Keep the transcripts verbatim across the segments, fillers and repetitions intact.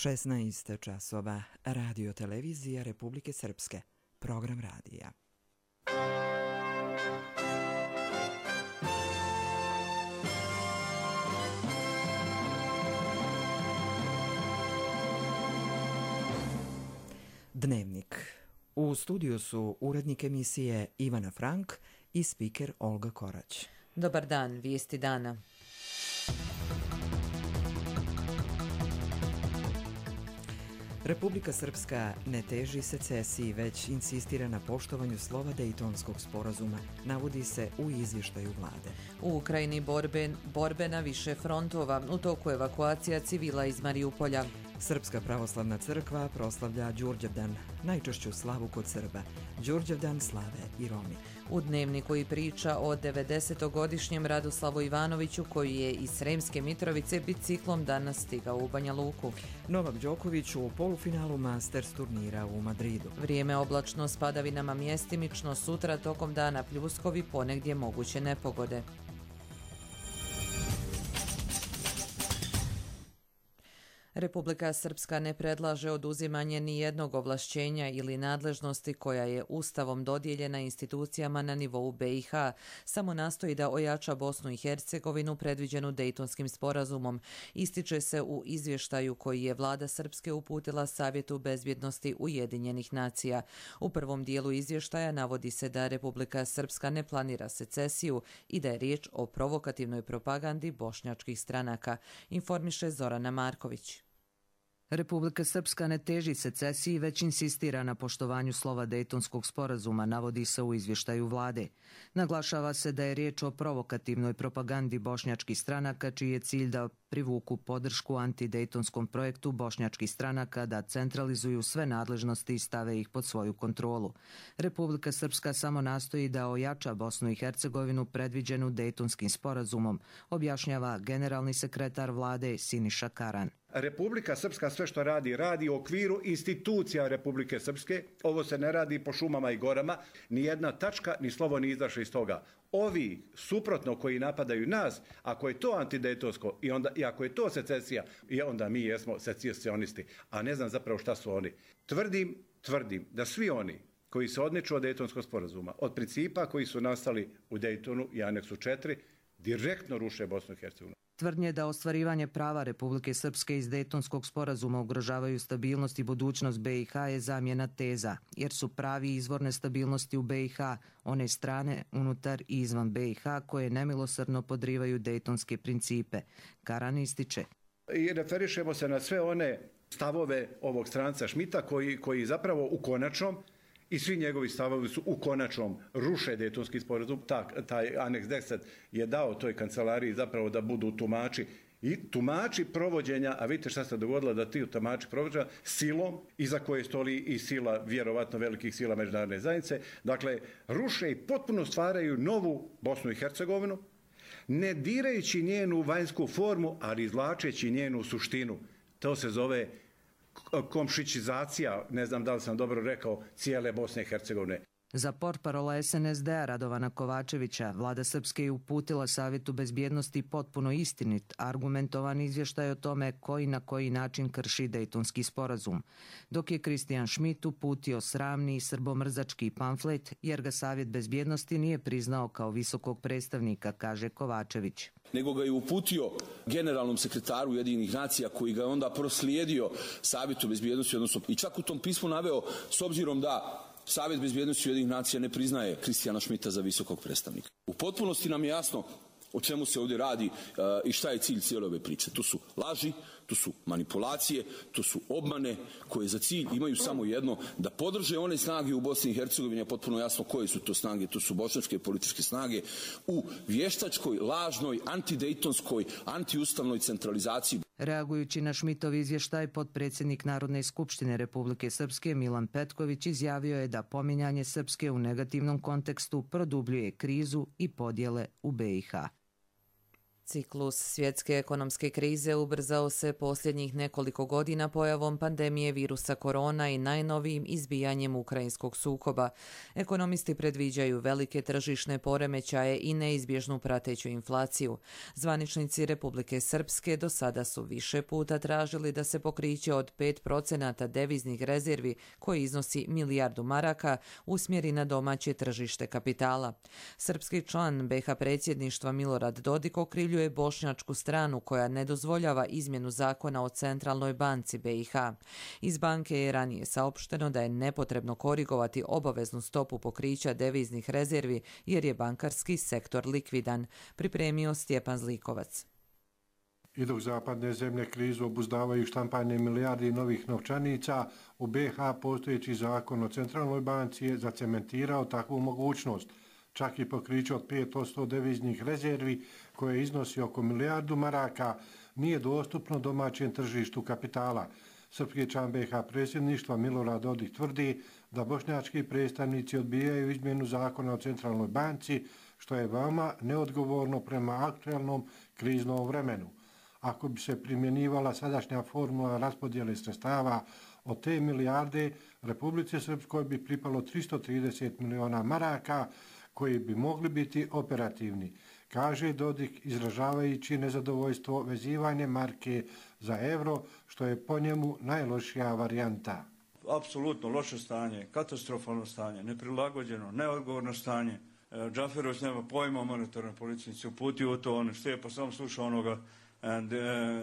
šesnaest časova, Radio televizija Republike Srpske, program radija. Dnevnik. U studiju su urednik emisije Ivana Frank i spiker Olga Korać. Dobar dan, vijesti dana. Republika Srpska ne teži secesiji, već insistira na poštovanju slova Dejtonskog sporazuma, navodi se u izvještaju vlade. U Ukrajini borbe, borbe na više frontova, u toku evakuacija civila iz Mariupolja. Srpska pravoslavna crkva proslavlja Đurđevdan, najčešću slavu kod Srba. Đurđevdan slave i Romi. U Dnevniku i priča o devedesetogodišnjem Radoslavu Ivanoviću, koji je iz Sremske Mitrovice biciklom danas stigao u Banja Luku. Novak Đoković u polufinalu Masters turnira u Madridu. Vrijeme oblačno s padavinama mjestimično, sutra tokom dana pljuskovi, ponegdje moguće nepogode. Republika Srpska ne predlaže oduzimanje ni jednog ovlašćenja ili nadležnosti koja je Ustavom dodijeljena institucijama na nivou B i H, samo nastoji da ojača Bosnu i Hercegovinu predviđenu Dejtonskim sporazumom, ističe se u izvještaju koji je vlada Srpske uputila Savjetu bezbjednosti Ujedinjenih nacija. U prvom dijelu izvještaja navodi se da Republika Srpska ne planira secesiju i da je riječ o provokativnoj propagandi bošnjačkih stranaka, informiše Zorana Marković. Republika Srpska ne teži secesiji, već insistira na poštovanju slova Dejtonskog sporazuma, navodi se u izvještaju vlade. Naglašava se da je riječ o provokativnoj propagandi bošnjačkih stranaka, čiji je cilj da privuku podršku antidejtonskom projektu bošnjačkih stranaka da centralizuju sve nadležnosti i stave ih pod svoju kontrolu. Republika Srpska samo nastoji da ojača Bosnu i Hercegovinu predviđenu Dejtonskim sporazumom, objašnjava generalni sekretar vlade Siniša Karan. Republika Srpska sve što radi, radi u okviru institucija Republike Srpske. Ovo se ne radi po šumama i gorama. Ni jedna tačka, ni slovo nije izašlo iz toga. Ovi, suprotno, koji napadaju nas, ako je to antidejtonsko i, onda, i ako je to secesija, i onda mi jesmo secesionisti, a ne znam zapravo šta su oni. Tvrdim, tvrdim da svi oni koji se odmiču od Dejtonskog sporazuma, od principa koji su nastali u Dejtonu i aneksu četiri, direktno ruše Bosnu i Hercegovinu. Tvrdnje da ostvarivanje prava Republike Srpske iz Dejtonskog sporazuma ugrožavaju stabilnost i budućnost B i H je zamjena teza, jer su pravi izvor nestabilnosti u B i H one strane unutar i izvan B i H koje nemilosrdno podrivaju dejtonske principe. Karan ističe. I referišemo se na sve one stavove ovog stranca Šmita koji, koji zapravo u konačnom i svi njegovi stavovi su u konačnom ruše Dejtonski sporazum. Tak, taj aneks deset je dao toj kancelariji zapravo da budu tumači i tumači provođenja, a vidite šta se dogodilo da ti tumači provođenja silom, iza koje stoji i sila, vjerovatno velikih sila međunarodne zajednice, dakle ruše i potpuno stvaraju novu Bosnu i Hercegovinu, ne dirajući njenu vanjsku formu, ali izvlačeći njenu suštinu. To se zove komšićizacija, ne znam da li sam dobro rekao, cijele Bosne i Hercegovine. Za portparola S N S D-a Radovana Kovačevića, vlada Srpske je uputila Savjetu bezbjednosti potpuno istinit, argumentovan izvještaj o tome koji na koji način krši Dejtonski sporazum, dok je Kristijan Šmit uputio sramni i srbomrzački pamflet, jer ga Savjet bezbjednosti nije priznao kao visokog predstavnika, kaže Kovačević. Nego ga je uputio generalnom sekretaru Ujedinjenih nacija, koji ga je onda proslijedio Savjetu bezbjednosti, odnosno i čak u tom pismu naveo, s obzirom da Savjet bezbjednosti Ujedinjenih nacija ne priznaje Kristijana Šmita za visokog predstavnika. U potpunosti nam je jasno o čemu se ovdje radi uh, i šta je cilj cijele ove priče. To su laži, to su manipulacije, to su obmane koje za cilj imaju samo jedno, da podrže one snage u Bosni i Hercegovini, a potpuno jasno koje su to snage, to su bošnjačke političke snage, u vještačkoj, lažnoj, antidejtonskoj, antiustavnoj centralizaciji. Reagujući na Šmitov izvještaj, potpredsjednik Narodne skupštine Republike Srpske Milan Petković izjavio je da pominjanje Srpske u negativnom kontekstu produbljuje krizu i podjele u B i H. Ciklus svjetske ekonomske krize ubrzao se posljednjih nekoliko godina pojavom pandemije virusa korona i najnovijim izbijanjem ukrajinskog sukoba. Ekonomisti predviđaju velike tržišne poremećaje i neizbježnu prateću inflaciju. Zvaničnici Republike Srpske do sada su više puta tražili da se pokriće od pet procenata deviznih rezervi, koji iznosi milijardu maraka, usmjeri na domaće tržište kapitala. Srpski član be ha predsjedništva Milorad Dodik okrivljuje bošnjačku stranu koja ne dozvoljava izmjenu zakona o centralnoj banci be i ha. Iz banke je ranije saopšteno da je nepotrebno korigovati obaveznu stopu pokrića deviznih rezervi jer je bankarski sektor likvidan, pripremio Stjepan Zlikovac. I dok zapadne zemlje krizu obuzdavaju štampanje milijardi novih novčanica, u be ha postojeći zakon o centralnoj banci je zacementirao takvu mogućnost. Čak i pokriće od pet posto deviznih rezervi, koje iznosi oko milijardu maraka, nije dostupno domaćem tržištu kapitala. Srpski član be ha predsjedništva Milorad Dodik tvrdi da bošnjački predstavnici odbijaju izmjenu zakona o centralnoj banci, što je veoma neodgovorno prema aktualnom kriznom vremenu. Ako bi se primjenjivala sadašnja formula raspodjele sredstava od te milijarde, Republici Srpskoj bi pripalo tristo trideset miliona maraka, koji bi mogli biti operativni, kaže Dodik, izražavajući nezadovoljstvo vezivanje marke za euro, što je po njemu najlošija varijanta. Apsolutno loše stanje, katastrofalno stanje, neprilagođeno, neodgovorno stanje. Džaferović nema pojma o monetarnoj politici, se uputio u to, on šte pa sam slušao onoga de,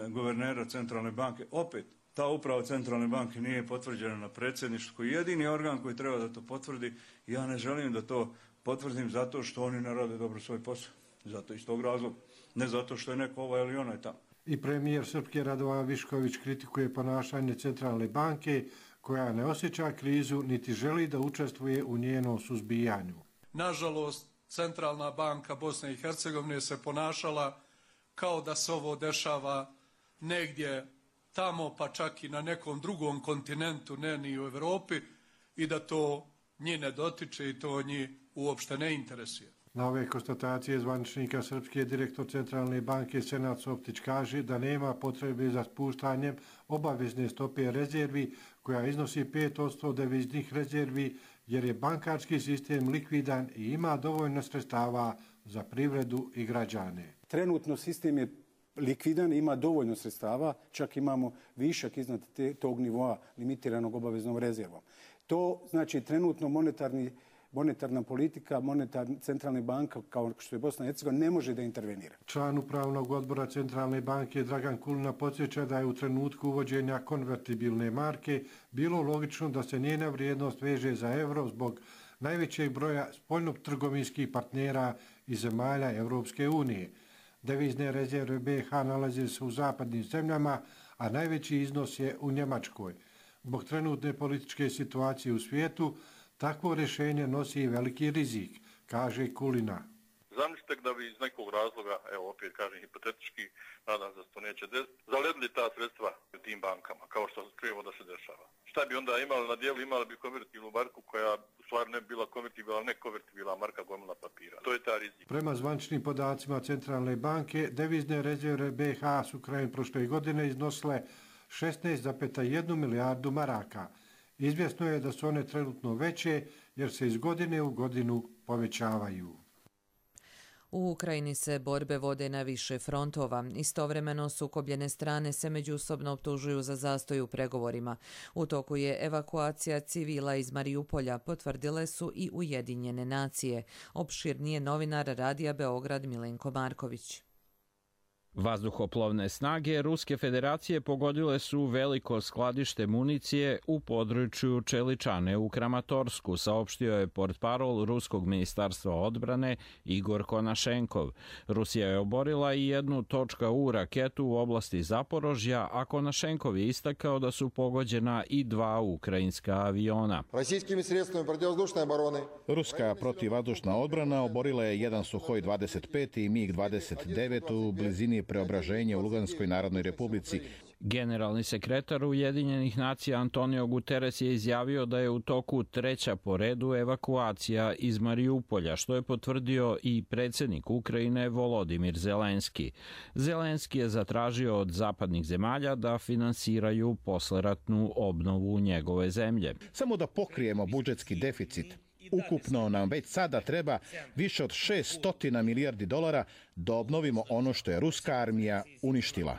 guvernera centralne banke. Opet, ta uprava centralne banke nije potvrđena na predsjedništvu, koji je jedini organ koji treba da to potvrdi. Ja ne želim da to potvrdim zato što oni ne rade dobro svoj posao. Zato iz tog razloga. Ne zato što je neko ovaj ili onaj tamo. I premijer Srpske Radovan Višković kritikuje ponašanje centralne banke, koja ne osjeća krizu niti želi da učestvuje u njenom suzbijanju. Nažalost, Centralna banka Bosne i Hercegovine se ponašala kao da se ovo dešava negdje tamo, pa čak i na nekom drugom kontinentu, ne ni u Evropi, i da to njih ne dotiče i to njih uopšte ne interesuje. Na ove konstatacije zvaničnika Srpske direktor Centralne banke Senad Soptić kaže da nema potrebe za spuštanjem obavezne stope rezervi, koja iznosi pet posto deviznih rezervi, jer je bankarski sistem likvidan i ima dovoljno sredstava za privredu i građane. Trenutno sistem je likvidan, ima dovoljno sredstava, čak imamo višak iznad te, tog nivoa limitiranog obaveznom rezervom. To znači trenutno monetarni monetarna politika, monetarna centralna banka, kao što je Bosna i Hercegovina, ne može da intervenira. Član upravnog odbora Centralne banke Dragan Kulina podsjeća da je u trenutku uvođenja konvertibilne marke bilo logično da se njena vrijednost veže za euro zbog najvećeg broja spoljnotrgovinskih partnera i zemalja Evropske unije. Devizne rezerve be ha nalaze se u zapadnim zemljama, a najveći iznos je u Njemačkoj. Zbog trenutne političke situacije u svijetu, takvo rješenje nosi veliki rizik, kaže Kulina. Zamislite da bi iz nekog razloga, evo opet kažem hipotetički, nadam se da to neće desiti, zaledili ta sredstva u tim bankama, kao što čujemo da se dešava. Šta bi onda imali na dijelu? Imali bi konvertibilnu marku koja u stvari ne bi bila konvertibilna, ne konvertibilna marka gomila papira. To je ta rizik. Prema zvaničnim podacima Centralne banke, devizne rezerve be ha su krajem prošle godine iznosile šesnaest zarez jedna milijardu maraka. Izvjesno je da su one trenutno veće jer se iz godine u godinu povećavaju. U Ukrajini se borbe vode na više frontova. Istovremeno sukobljene strane se međusobno optužuju za zastoj u pregovorima. U toku je evakuacija civila iz Marijupolja, potvrdile su i Ujedinjene nacije. Opširnije novinar Radija Beograd Milenko Marković. Vazduhoplovne snage Ruske federacije pogodile su veliko skladište municije u području Čeličane u Kramatorsku, saopštio je portparol Ruskog ministarstva odbrane Igor Konašenkov. Rusija je oborila i jednu .U raketu u oblasti Zaporožja, a Konašenkov je istakao da su pogođena i dva ukrajinska aviona. Ruska protivvazdušna odbrana oborila je jedan Suhoj dvadeset pet i mig dvadeset devet u blizini Preobraženja u Luganskoj Narodnoj Republici. Generalni sekretar Ujedinjenih nacija Antonio Guterres je izjavio da je u toku treća po redu evakuacija iz Mariupolja, što je potvrdio i predsjednik Ukrajine Volodimir Zelenski. Zelenski je zatražio od zapadnih zemalja da finansiraju posleratnu obnovu njegove zemlje. Samo da pokrijemo budžetski deficit. Ukupno nam već sada treba više od šesto milijardi dolara da obnovimo ono što je ruska armija uništila.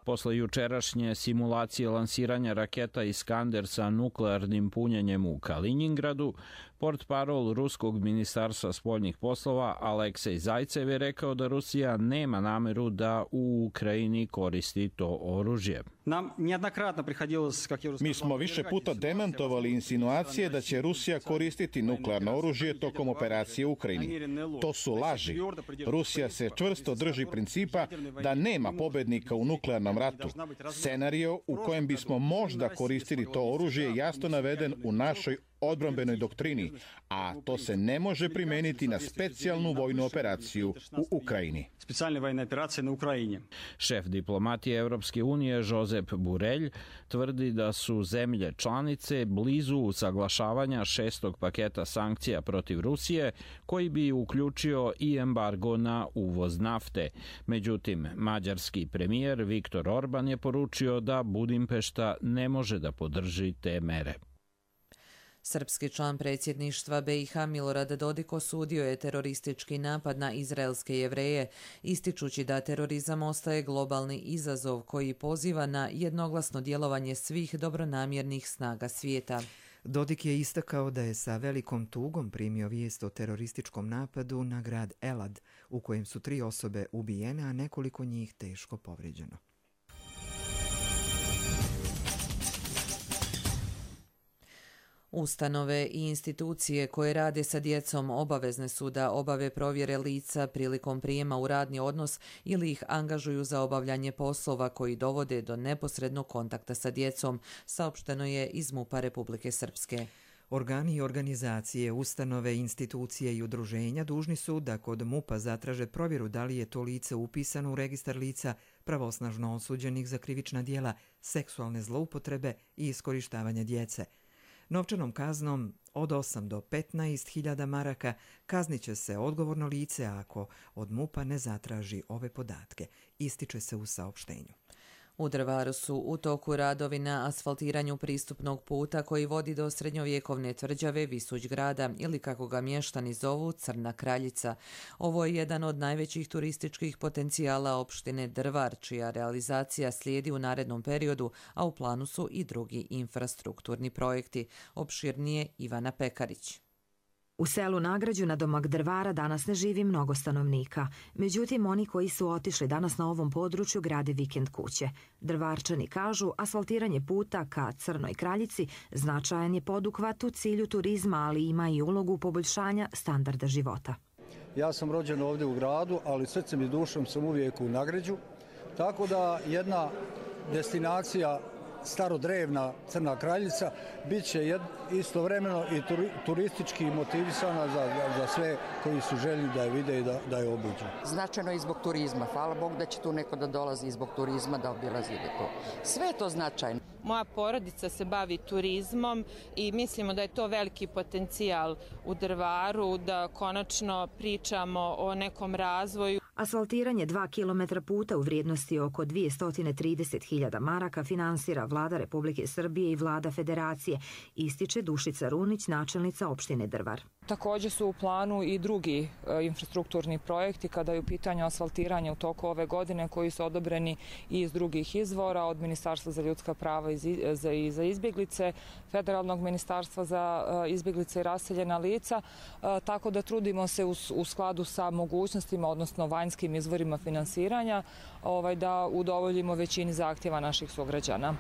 Posle jučerašnje simulacije lansiranja raketa Iskander sa nuklearnim punjenjem u Kaliningradu, portparol Ruskog ministarstva spoljnih poslova Aleksej Zajcev je rekao da Rusija nema nameru da u Ukrajini koristi to oružje. Mi smo više puta demantovali insinuacije da će Rusija koristiti nuklearno oružje tokom operacije u Ukrajini. To su laži. Rusija se čvrsto drži principa da nema pobednika u nuklearnom ratu. Scenario u kojem bismo možda koristili to oružje je jasno naveden u našoj odbrambenoj doktrini, a to se ne može primeniti na specijalnu vojnu operaciju u Ukrajini. Šef diplomatije Evropske unije Josep Borrell tvrdi da su zemlje članice blizu usaglašavanja šestog paketa sankcija protiv Rusije, koji bi uključio i embargo na uvoz nafte. Međutim, mađarski premijer Viktor Orban je poručio da Budimpešta ne može da podrži te mere. Srpski član predsjedništva B i H Milorad Dodik osudio je teroristički napad na izraelske Jevreje, ističući da terorizam ostaje globalni izazov koji poziva na jednoglasno djelovanje svih dobronamjernih snaga svijeta. Dodik je istakao da je sa velikom tugom primio vijest o terorističkom napadu na grad Elad, u kojem su tri osobe ubijene, a nekoliko njih teško povrijeđeno. Ustanove i institucije koje rade sa djecom obavezne su da obave provjere lica prilikom prijema u radni odnos ili ih angažuju za obavljanje poslova koji dovode do neposrednog kontakta sa djecom, saopšteno je iz MUP-a Republike Srpske. Organi i organizacije, ustanove, institucije i udruženja dužni su da kod MUP-a zatraže provjeru da li je to lice upisano u registar lica pravosnažno osuđenih za krivična djela, seksualne zloupotrebe i iskorištavanja djece. Novčanom kaznom od osam do petnaest hiljada maraka kaznit će se odgovorno lice ako od MUP-a ne zatraži ove podatke, ističe se u saopštenju. U Drvaru su u toku radovi na asfaltiranju pristupnog puta koji vodi do srednjovjekovne tvrđave Visuć grada ili kako ga mještani zovu Crna Kraljica. Ovo je jedan od najvećih turističkih potencijala opštine Drvar, čija realizacija slijedi u narednom periodu, a u planu su i drugi infrastrukturni projekti. Opširnije Ivana Pekarić. U selu Nagrađu na domak Drvara danas ne živi mnogo stanovnika. Međutim, oni koji su otišli danas na ovom području grade vikend kuće. Drvarčani kažu, asfaltiranje puta ka Crnoj Kraljici značajan je poduhvat u cilju turizma, ali ima i ulogu poboljšanja standarda života. Ja sam rođen ovdje u gradu, ali srcem i dušom sam uvijek u Nagrađu. Tako da jedna destinacija starodrevna Crna Kraljica bit će istovremeno i turistički motivisana za, za, za sve koji su željni da je vide i da, da je obiđu. Značajno i zbog turizma. Hvala Bog da će tu neko da dolazi i zbog turizma da obilazi to. Sve je to značajno. Moja porodica se bavi turizmom i mislimo da je to veliki potencijal u Drvaru, da konačno pričamo o nekom razvoju. Asfaltiranje dva kilometra puta u vrijednosti oko dvjesto trideset hiljada maraka finansira Vlada Republike Srbije i Vlada Federacije, ističe Dušica Runić, načelnica opštine Drvar. Također su u planu i drugi e, infrastrukturni projekti kada je u pitanju asfaltiranje u toku ove godine koji su odobreni i iz drugih izvora, od Ministarstva za ljudska prava i za, i za izbjeglice, Federalnog ministarstva za e, izbjeglice i raseljena lica, e, tako da trudimo se u, u skladu sa mogućnostima, odnosno vanjskim izvorima finansiranja, ovaj, da udovoljimo većini zahtjeva naših sugrađana.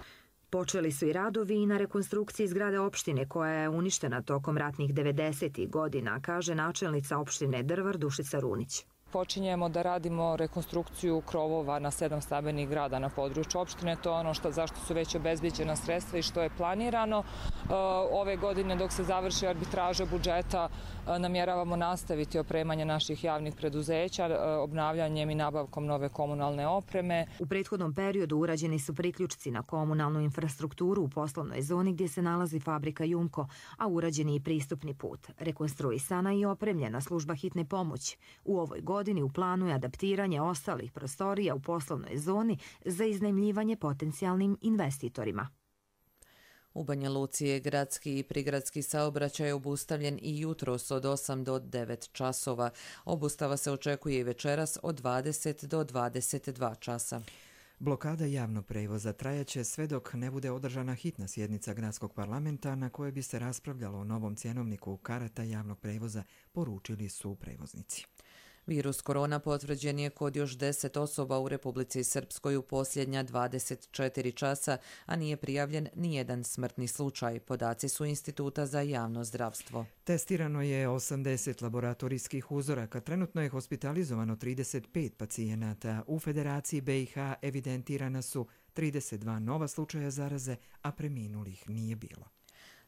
Počeli su i radovi i na rekonstrukciji zgrade opštine koja je uništena tokom ratnih devedesetih godina, kaže načelnica opštine Drvar Dušica Runić. Počinjemo da radimo rekonstrukciju krovova na sedam stambenih grada na području opštine. To je ono što, zašto su već obezbeđena sredstva i što je planirano. Ove godine dok se završi arbitraža budžeta namjeravamo nastaviti opremanje naših javnih preduzeća obnavljanjem i nabavkom nove komunalne opreme. U prethodnom periodu urađeni su priključci na komunalnu infrastrukturu u poslovnoj zoni gdje se nalazi fabrika Jumko, a urađeni i pristupni put. Rekonstruisana i opremljena služba hitne pomoći. U ovoj godini u planu je adaptiranje ostalih prostorija u poslovnoj zoni za iznajmljivanje potencijalnim investitorima. U Banja Luci je gradski i prigradski saobraćaj obustavljen i jutros od osam do devet časova. Obustava se očekuje i večeras od dvadeset do dvadeset dva časa. Blokada javnog prevoza trajaće sve dok ne bude održana hitna sjednica gradskog parlamenta na kojoj bi se raspravljalo o novom cjenovniku karata javnog prevoza, poručili su prevoznici. Virus korona potvrđen je kod još deset osoba u Republici Srpskoj u posljednja dvadeset četiri časa, a nije prijavljen nijedan smrtni slučaj. Podaci su Instituta za javno zdravstvo. Testirano je osamdeset laboratorijskih uzoraka, trenutno je hospitalizovano trideset pet pacijenata. U Federaciji B i H evidentirana su trideset dva nova slučaja zaraze, a preminulih nije bilo.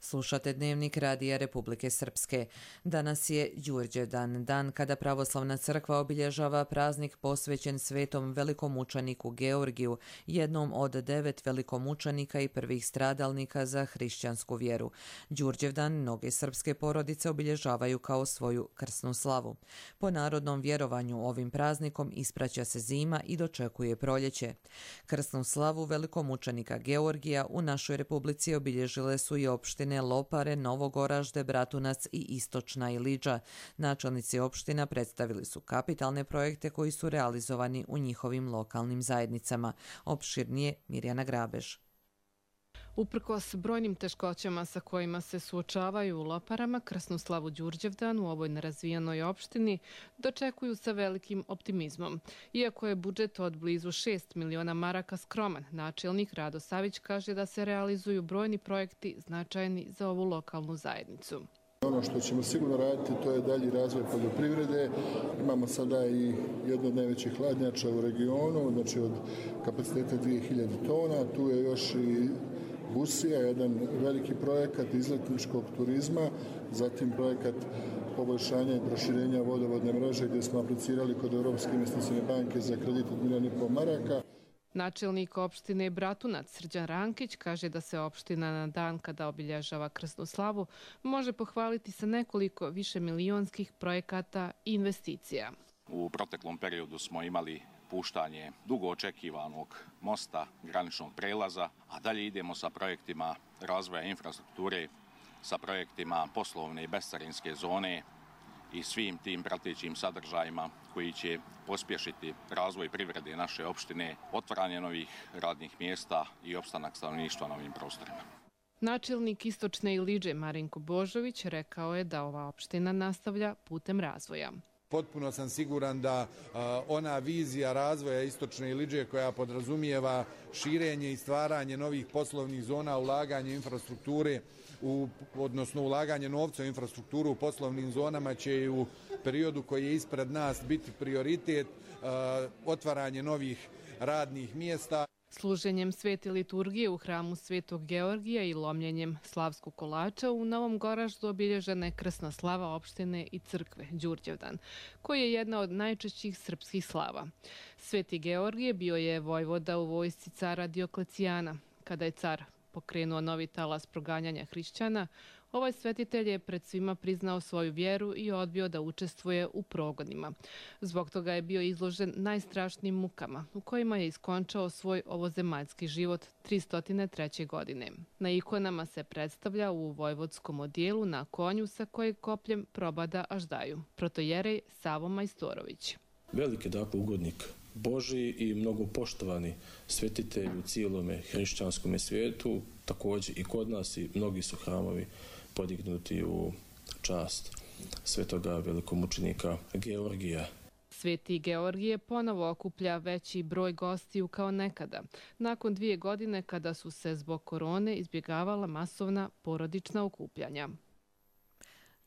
Slušate Dnevnik Radija Republike Srpske. Danas je Đurđevdan, dan kada pravoslavna crkva obilježava praznik posvećen svetom velikomučeniku Georgiju, jednom od devet velikomučenika i prvih stradalnika za hrišćansku vjeru. Đurđevdan mnoge srpske porodice obilježavaju kao svoju krsnu slavu. Po narodnom vjerovanju ovim praznikom ispraća se zima i dočekuje proljeće. Krsnu slavu velikomučenika Georgija u našoj republici obilježile su i opštine Lopare, Novogoražde, Bratunac i Istočna Iliđa. Načelnici opština predstavili su kapitalne projekte koji su realizovani u njihovim lokalnim zajednicama. Opširnije Mirjana Grabež. Uprkos brojnim teškoćama sa kojima se suočavaju u Loparama, krsnu slavu Đurđevdan u ovoj nerazvijenoj opštini dočekuju sa velikim optimizmom. Iako je budžet od blizu šest miliona maraka skroman, načelnik Rado Savić kaže da se realizuju brojni projekti značajni za ovu lokalnu zajednicu. Ono što ćemo sigurno raditi to je dalji razvoj poljoprivrede. Imamo sada i jednu od najvećih hladnjača u regionu, znači od kapaciteta dvije hiljade tona. Tu je još i Busija, jedan veliki projekat izletničkog turizma, zatim projekat poboljšanja i proširenja vodovodne mreže gdje smo aplicirali kod Europske investicijne banke za kredit od milijon i pol maraka. Načelnik opštine Bratunac Srđan Rankić kaže da se opština na dan kada obilježava krsnu slavu može pohvaliti sa nekoliko višemilionskih projekata i investicija. U proteklom periodu smo imali puštanje dugo očekivanog mosta, graničnog prelaza, a dalje idemo sa projektima razvoja infrastrukture, sa projektima poslovne i bescarinske zone i svim tim pratećim sadržajima koji će pospješiti razvoj privrede naše opštine, otvaranje novih radnih mjesta i opstanak stanovništva na ovim prostorima. Načelnik Istočne Iliđe Marinko Božović rekao je da ova opština nastavlja putem razvoja. Potpuno sam siguran da ona vizija razvoja Istočne Iliđe koja podrazumijeva širenje i stvaranje novih poslovnih zona, ulaganje infrastrukture, u, odnosno ulaganje novca u infrastrukturu u poslovnim zonama će i u periodu koji je ispred nas biti prioritet, otvaranje novih radnih mjesta. Služenjem svete liturgije u hramu Svetog Georgija i lomljenjem slavskog kolača u Novom Goraždu obilježena je krsna slava opštine i crkve Đurđevdan, koji je jedna od najčešćih srpskih slava. Sveti Georgije bio je vojvoda u vojsci cara Dioklecijana. Kada je car pokrenuo novi talas proganjanja hrišćana, ovaj svetitelj je pred svima priznao svoju vjeru i odbio da učestvuje u progonima. Zbog toga je bio izložen najstrašnijim mukama, u kojima je iskončao svoj ovozemaljski život tristo treće. godine. Na ikonama se predstavlja u vojvodskom odijelu na konju sa kojeg kopljem probada Aždaju. Protojerej Savo Majstorović. Veliki dakle ugodnik Božji i mnogo poštovani svetitelj u cijelome hrišćanskome svijetu, također i kod nas i mnogi su hramovi podignuti u čast svetoga velikomučenika Georgija. Sveti Georgije ponovo okuplja veći broj gostiju kao nekada, nakon dvije godine kada su se zbog korone izbjegavala masovna porodična okupljanja.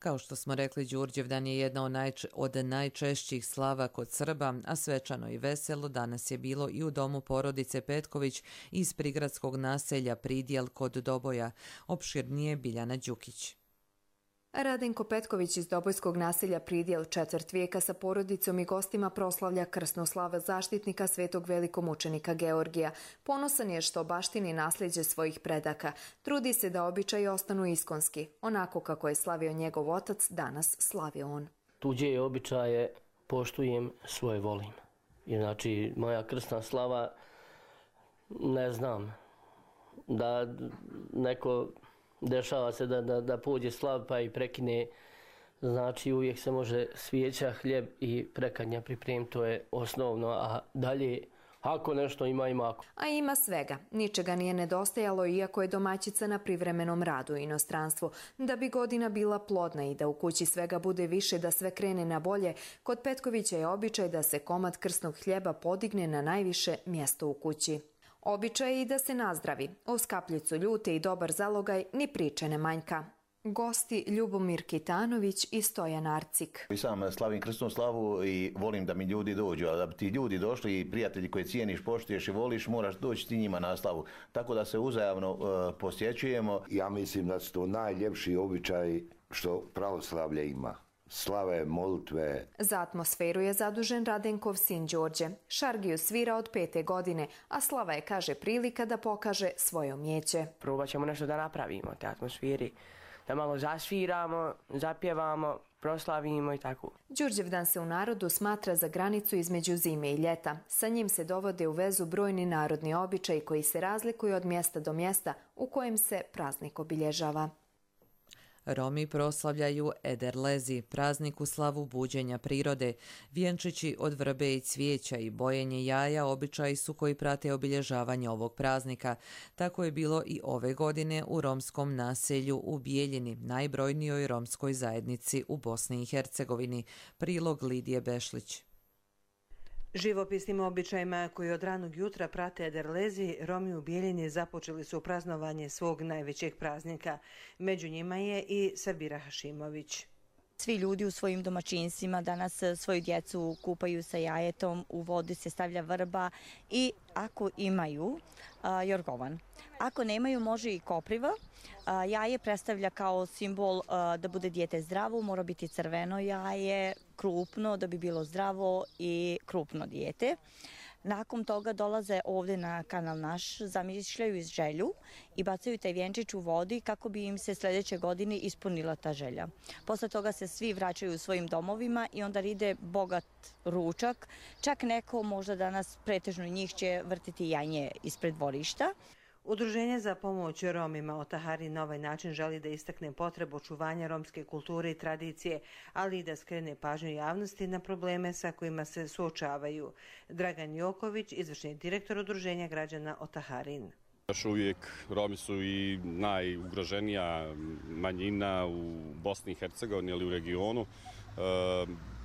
Kao što smo rekli, Đurđevdan je jedna od, najče, od najčešćih slava kod Srba, a svečano i veselo danas je bilo i u domu porodice Petković iz prigradskog naselja Pridjel kod Doboja. Opširnije Biljana Đukić. Radenko Petković iz Dobojskog naselja Pridjel četvrt vijeka sa porodicom i gostima proslavlja krsnu slavu zaštitnika svetog velikomučenika Georgija. Ponosan je što baštini nasljeđe svojih predaka. Trudi se da običaji ostanu iskonski, onako kako je slavio njegov otac, danas slavi on. Tuđe običaje poštujem, svoje volim. I znači, moja krsna slava, ne znam, da neko... Dešava se da, da, da pođe slav pa i prekine, znači uvijek se može svijeća, hljeb i prekanja pripremiti, to je osnovno, a dalje ako nešto ima, ima ako. A ima svega. Ničega nije nedostajalo iako je domaćica na privremenom radu u inostranstvu. Da bi godina bila plodna i da u kući svega bude više, da sve krene na bolje, kod Petkovića je običaj da se komad krsnog hljeba podigne na najviše mjesto u kući. Običaj je i da se nazdravi. Uz kapljicu ljute i dobar zalogaj ni priče ne manjka. Gosti Ljubomir Kitanović i Stojan Arcik. I sam slavim krsnu slavu i volim da mi ljudi dođu, a da bi ti ljudi došli i prijatelji koje cijeniš, poštuješ i voliš, moraš doći ti njima na slavu. Tako da se uzajamno uh, posjećujemo. Ja mislim da su to najljepši običaj što pravoslavlje ima. Slave, molitve. Za atmosferu je zadužen Radenkov sin Đorđe. Šargiju svira od pete godine, a slava je, kaže, prilika da pokaže svoje umjeće. Probat ćemo nešto da napravimo te atmosferi, da malo zasviramo, zapjevamo, proslavimo i tako. Đurđevdan se u narodu smatra za granicu između zime i ljeta. Sa njim se dovode u vezu brojni narodni običaji koji se razlikuju od mjesta do mjesta u kojem se praznik obilježava. Romi proslavljaju Ederlezi, praznik u slavu buđenja prirode. Vjenčići od vrbe i cvijeća i bojenje jaja običaji su koji prate obilježavanje ovog praznika. Tako je bilo i ove godine u romskom naselju u Bijeljini, najbrojnijoj romskoj zajednici u Bosni i Hercegovini. Prilog Lidije Bešlić. Živopisnim običajima koji od ranog jutra prate Ederlezi, Romi u Bijeljini započeli su praznovanje svog najvećeg praznika. Među njima je i Sabira Hašimović. Svi ljudi u svojim domaćinstvima danas svoju djecu kupaju sa jajetom, u vodi se stavlja vrba i ako imaju a, jorgovan. Ako nemaju, može i kopriva. A, jaje predstavlja kao simbol a, da bude dijete zdravo, mora biti crveno jaje, krupno da bi bilo zdravo i krupno dijete. Nakon toga dolaze ovdje na kanal naš, zamišljaju iz želju i bacaju taj vjenčić u vodi kako bi im se sljedeće godine ispunila ta želja. Posle toga se svi vraćaju u svojim domovima i onda ide bogat ručak. Čak neko, možda danas pretežno njih, će vrtiti janje ispred dvorišta. Udruženje za pomoć Romima Otahari na ovaj način želi da istakne potrebu očuvanja romske kulture i tradicije, ali i da skrene pažnju javnosti na probleme sa kojima se suočavaju. Dragan Joković, izvršni direktor Udruženja građana Otaharin. Još uvijek Romi su i najugroženija manjina u Bosni i Hercegovini ili u regionu. E,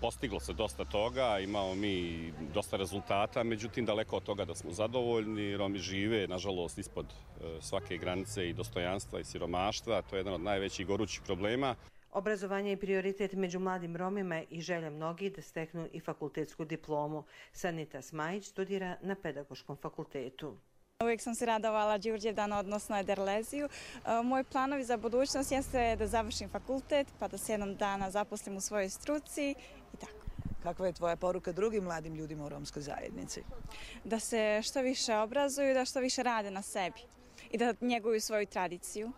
postiglo se dosta toga, imamo mi dosta rezultata, međutim daleko od toga da smo zadovoljni. Romi žive, nažalost, ispod e, svake granice i dostojanstva i siromaštva. To je jedan od najvećih gorućih problema. Obrazovanje je prioritet među mladim Romima i želja mnogih da steknu i fakultetsku diplomu. Sanita Smajić studira na Pedagoškom fakultetu. Uvijek sam se radovala Đurđevdanu, odnosno Ederleziju. Moj planovi za budućnost jeste da završim fakultet, pa da se jednom dana zaposlim u svojoj struci i tako. Kakva je tvoja poruka drugim mladim ljudima u romskoj zajednici? Da se što više obrazuju, da što više rade na sebi i da njeguju svoju tradiciju.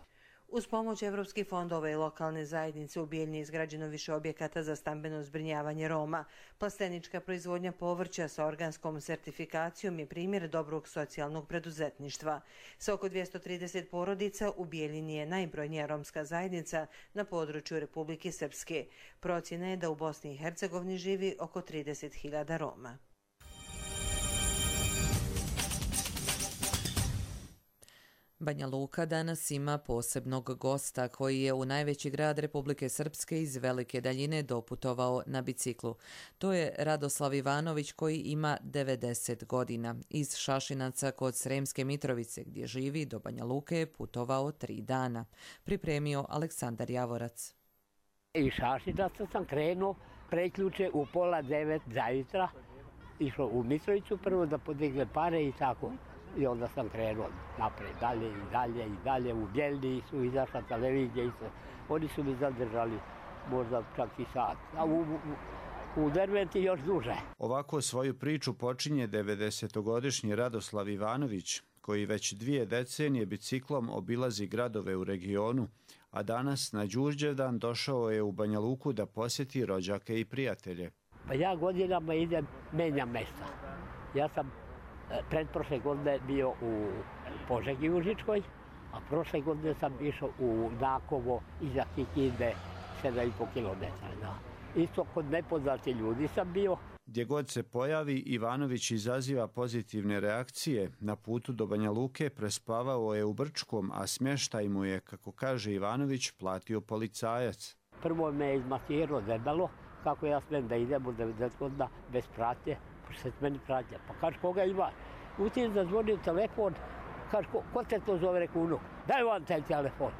Uz pomoć evropskih fondova i lokalne zajednice u Bijeljini je izgrađeno više objekata za stambeno zbrinjavanje Roma. Plastenička proizvodnja povrća sa organskom sertifikacijom je primjer dobrog socijalnog preduzetništva. Sa oko dvjesto trideset porodica u Bijeljini je najbrojnija romska zajednica na području Republike Srpske. Procjena je da u Bosni i Hercegovini živi oko trideset hiljada Roma. Banja Luka danas ima posebnog gosta koji je u najveći grad Republike Srpske iz velike daljine doputovao na biciklu. To je Radoslav Ivanović koji ima devedeset godina. Iz Šašinaca kod Sremske Mitrovice gdje živi do Banja Luke je putovao tri dana. Pripremio Aleksandar Javorac. I Šašinaca sam krenuo preključe u pola devet zajutra, išao u Mitrovicu prvo da podigne pare i tako. I onda sam krenuo napred, dalje i dalje i dalje. U Bjeljni su izašla televizija i sve. Oni su mi zadržali možda čak i sat. A u, u, u Derventi još duže. Ovako svoju priču počinje devedesetogodišnji Radoslav Ivanović, koji već dvije decenije biciklom obilazi gradove u regionu, a danas na Đurđevdan došao je u Banja Luku da posjeti rođake i prijatelje. Pa ja godinama idem, menjam mesta. Ja sam pretprošle godine bio u Požegi Užičkoj, a prošle godine sam išao u Nakovo iza Kikinde, sedam i po kilometara. Isto kod nepoznati ljudi sam bio. Gdje god se pojavi, Ivanović izaziva pozitivne reakcije. Na putu do Banja Luke prespavao je u Brčkom, a smještaj mu je, kako kaže Ivanović, platio policajac. Prvo me je izmasirao debelo, kako ja smem da idem u devedeset godina bez pratnje, pošto se meni pratnja. Pa kaže, koga ima? Utim da zvoni telefon, kaže, ko, ko te to zove, reku unuk, daj vam taj telefon.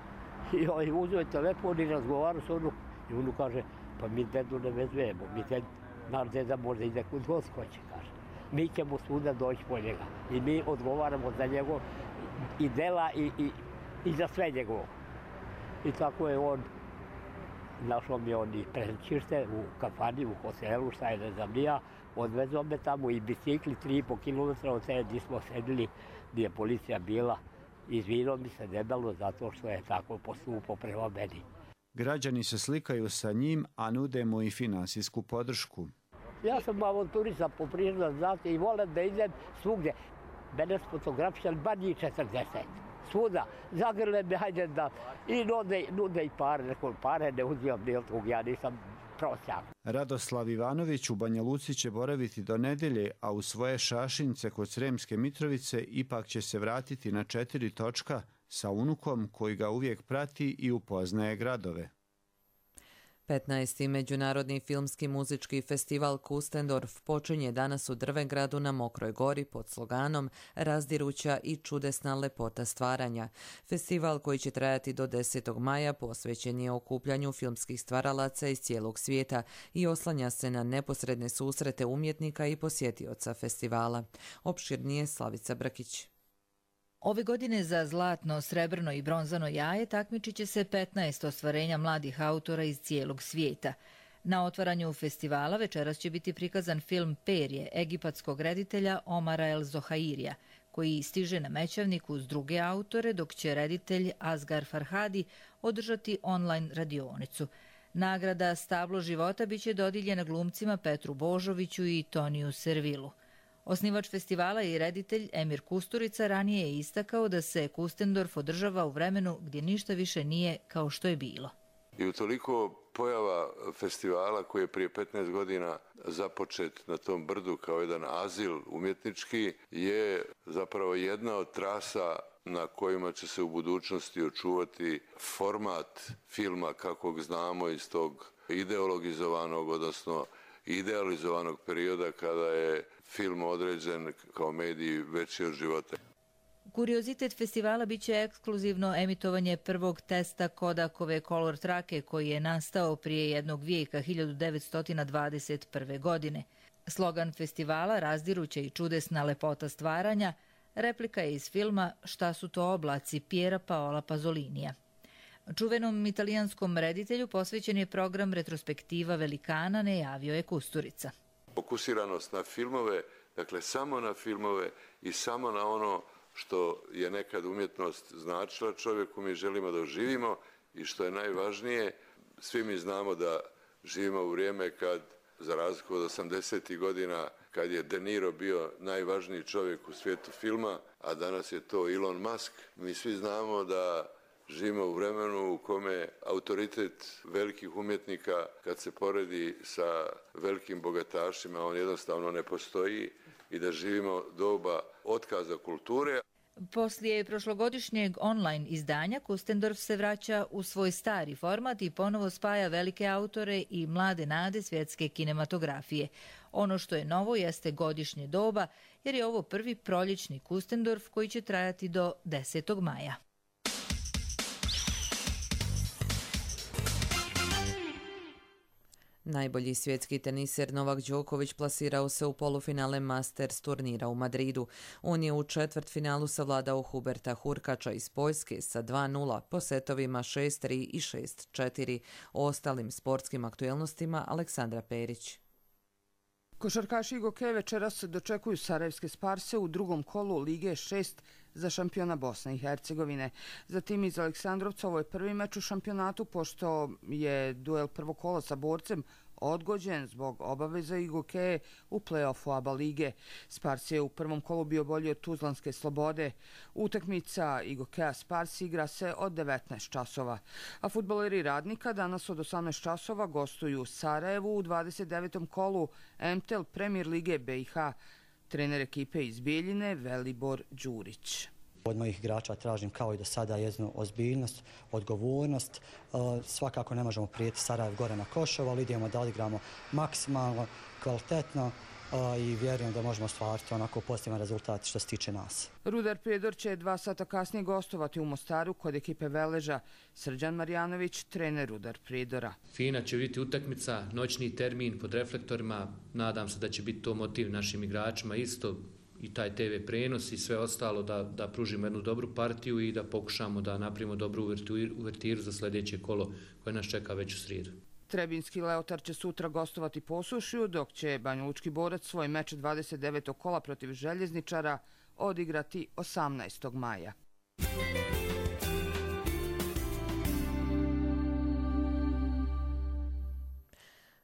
I ovaj uzeo telefon i razgovarao s unuk. I unuk kaže, pa mi dedu ne vezujemo, mi dedu, naš deda možda ide kud god hoće, kaže. Mi ćemo svuda doći po njega. I mi odgovaramo za njegov i dela i, i, i za sve njegovo. I tako je on, našao mi on i prečište u kafani, u hotelu, šta je ne znam nija. Odvezao me tamo i bicikli tri i po kilometra od sebe gdje smo sedili, gdje je policija bila. Izvinio mi se debelo zato što je tako postupao prema meni. Građani se slikaju sa njim, a nude mu i finansijsku podršku. Ja sam avanturista po priroda, znate, i volim da idem svugdje. Mene s fotografičan bar njih četrdeset. Svuda, zagrle me, hajde da, i nude, nude i pare, neko pare ne uzimam ni od tog, ja nisam prosjak. Radoslav Ivanović u Banja Luci će boraviti do nedelje, a u svoje Šašince kod Sremske Mitrovice ipak će se vratiti na četiri točka sa unukom koji ga uvijek prati i upoznaje gradove. petnaesti. Međunarodni filmski muzički festival Kustendorf počinje danas u Drvengradu na Mokroj gori pod sloganom Razdiruća i čudesna lepota stvaranja. Festival koji će trajati do desetog maja posvećen je okupljanju filmskih stvaralaca iz cijelog svijeta i oslanja se na neposredne susrete umjetnika i posjetioca festivala. Opširnije Slavica Brkić. Ove godine za zlatno, srebrno i bronzano jaje takmičit će se petnaest ostvarenja mladih autora iz cijelog svijeta. Na otvaranju festivala večeras će biti prikazan film Perje egipatskog reditelja Omara El Zohairija, koji stiže na Mećavnik uz druge autore, dok će reditelj Asgar Farhadi održati online radionicu. Nagrada Stablo života biće dodijeljena glumcima Petru Božoviću i Toniju Servilu. Osnivač festivala i reditelj Emir Kusturica ranije je istakao da se Kustendorf održava u vremenu gdje ništa više nije kao što je bilo. I utoliko pojava festivala koji je prije petnaest godina započet na tom brdu kao jedan azil umjetnički je zapravo jedna od trasa na kojima će se u budućnosti očuvati format filma kakvog znamo iz tog ideologizovanog, odnosno idealizovanog perioda kada je film određen kao medij veći od života. Kuriozitet festivala biće ekskluzivno emitovanje prvog testa Kodakove Color trake koji je nastao prije jednog vijeka hiljadu devetsto dvadeset prve. godine. Slogan festivala Razdiruća i čudesna lepota stvaranja replika je iz filma Šta su to oblaci Piera Paola Pazolinija. Čuvenom italijanskom reditelju posvećen je program retrospektiva velikana, najavio je Kusturica. Fokusiranost na filmove, dakle samo na filmove i samo na ono što je nekad umjetnost značila čovjeku, mi želimo da živimo i što je najvažnije, svi mi znamo da živimo u vrijeme kad, za razliku od osamdesetih godina, kad je De Niro bio najvažniji čovjek u svijetu filma, a danas je to Elon Musk, mi svi znamo da živimo u vremenu u kome autoritet velikih umjetnika, kad se poredi sa velikim bogatašima, on jednostavno ne postoji i da živimo doba otkaza kulture. Poslije prošlogodišnjeg online izdanja, Kustendorf se vraća u svoj stari format i ponovo spaja velike autore i mlade nade svjetske kinematografije. Ono što je novo jeste godišnje doba, jer je ovo prvi proljećni Kustendorf koji će trajati do desetog maja. Najbolji svjetski teniser Novak Đoković plasirao se u polufinale Masters turnira u Madridu. On je u četvrtfinalu savladao Huberta Hurkača iz Poljske sa dva nula po setovima šest tri i šest četiri. O ostalim sportskim aktuelnostima Aleksandra Perić. Košarkaši Igoke večeras dočekuju sarajevske Sparse u drugom kolu Lige šest za šampiona Bosne i Hercegovine. Zatim iz Aleksandrovca ovo je prvi meč u šampionatu, pošto je duel prvog kola sa Borcem odgođen zbog obaveza Igoke u play-offu A B A lige. Spars je u prvom kolu bio bolji od Tuzlanske Slobode. Utakmica Igokea Spars igra se od devetnaest časova. A fudbaleri Radnika danas od osamnaest časova gostuju u Sarajevu u dvadeset devetom kolu M T E L Premier lige B i H. Trener ekipe iz Bijeljine Velibor Đurić. Od mojih igrača tražim kao i do sada jednu ozbiljnost, odgovornost. Svakako ne možemo prijeti Sarajev gore na Košovo, ali idemo da odigramo maksimalno, kvalitetno i vjerujem da možemo ostvariti onako pozitivan rezultat što se tiče nas. Rudar Prijedor će dva sata kasnije gostovati u Mostaru kod ekipe Veleža. Srđan Marjanović, trener Rudar Prijedora. Fina će biti utakmica, noćni termin pod reflektorima. Nadam se da će biti to motiv našim igračima isto, i taj T V prenos i sve ostalo, da, da pružimo jednu dobru partiju i da pokušamo da napravimo dobru uvertiru za sljedeće kolo koje nas čeka već u srijedu. Trebinski Leotar će sutra gostovati Posušju, dok će Banjalučki Borac svoj meč dvadeset devetog kola protiv Željezničara odigrati osamnaestog maja.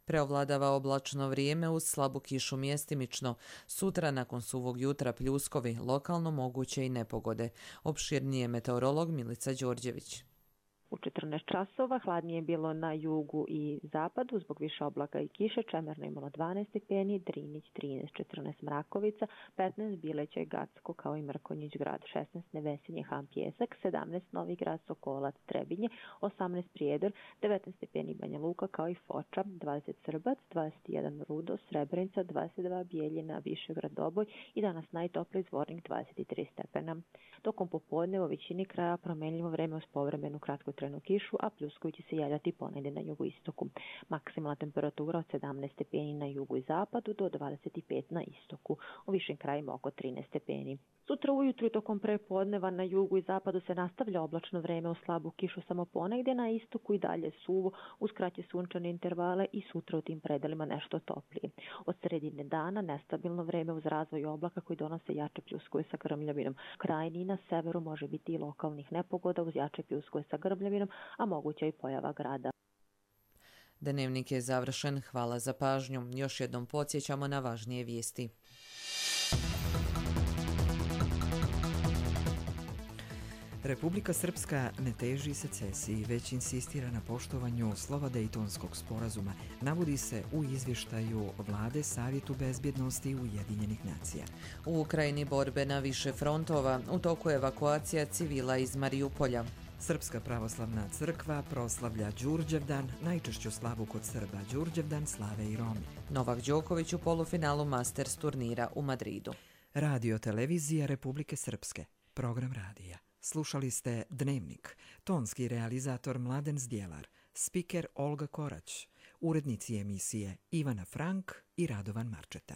Preovladava oblačno vrijeme uz slabu kišu mjestimično. Sutra nakon suvog jutra pljuskovi, lokalno moguće i nepogode. Opširnije meteorolog Milica Đorđević. U četrnaest časova hladnije je bilo na jugu i zapadu zbog više oblaka i kiše. Čemerno je imalo dvanaest stepeni, Drinić trinaest, četrnaest Mrakovica, petnaest Bileća i Gacko kao i Mrkonjić grad, šesnaest Nevesinje, Han Pjesak, sedamnaest Novi grad, Sokolac, Trebinje, osamnaest Prijedor, devetnaest stepeni Banja Luka kao i Foča, dvadeset Srbac, dvadeset jedan Rudo, Srebrenica, dvadeset dva Bijeljina, Višegrad, Doboj i danas najtopliji Zvornik dvadeset tri stepena. Tokom popodne u većini kraja promenljivo vreme uz povremenu kratku trenu kišu, a pljuskovi će se javljati ponegdje na jugoistoku. Maksimalna temperatura od sedamnaest stepeni na jugu i zapadu do dvadeset pet na istoku. U višim krajima oko trinaest stepeni. Sutra ujutru i tokom prepodneva na jugu i zapadu se nastavlja oblačno vreme uz slabu kišu samo ponegdje, na istoku i dalje suvo uz kraće sunčane intervale i sutra u tim predelima nešto toplije. Od sredine dana nestabilno vreme uz razvoj oblaka koji donose jače pljuskove sa grmljavinom. Krajini na severu može biti i lokalnih nepogoda uz jače pljuskove sa grmljavinom, a moguća i pojava grada. Dnevnik je završen. Hvala za pažnju. Još jednom podsjećamo na važnije vijesti. Republika Srpska ne teži secesiji, već insistira na poštovanju slova Dejtonskog sporazuma, navodi se u izvještaju Vlade Savjetu bezbjednosti Ujedinjenih nacija. U Ukrajini borbe na više frontova, u toku evakuacija civila iz Marijupolja. Srpska pravoslavna crkva proslavlja Đurđevdan, najčešću slavu kod Srba Đurđevdan slave i Romi. Novak Đoković u polufinalu Masters turnira u Madridu. Radio televizija Republike Srpske, program radija. Slušali ste Dnevnik, tonski realizator Mladen Zdjelar, spiker Olga Korać, urednici emisije Ivana Frank i Radovan Marčeta.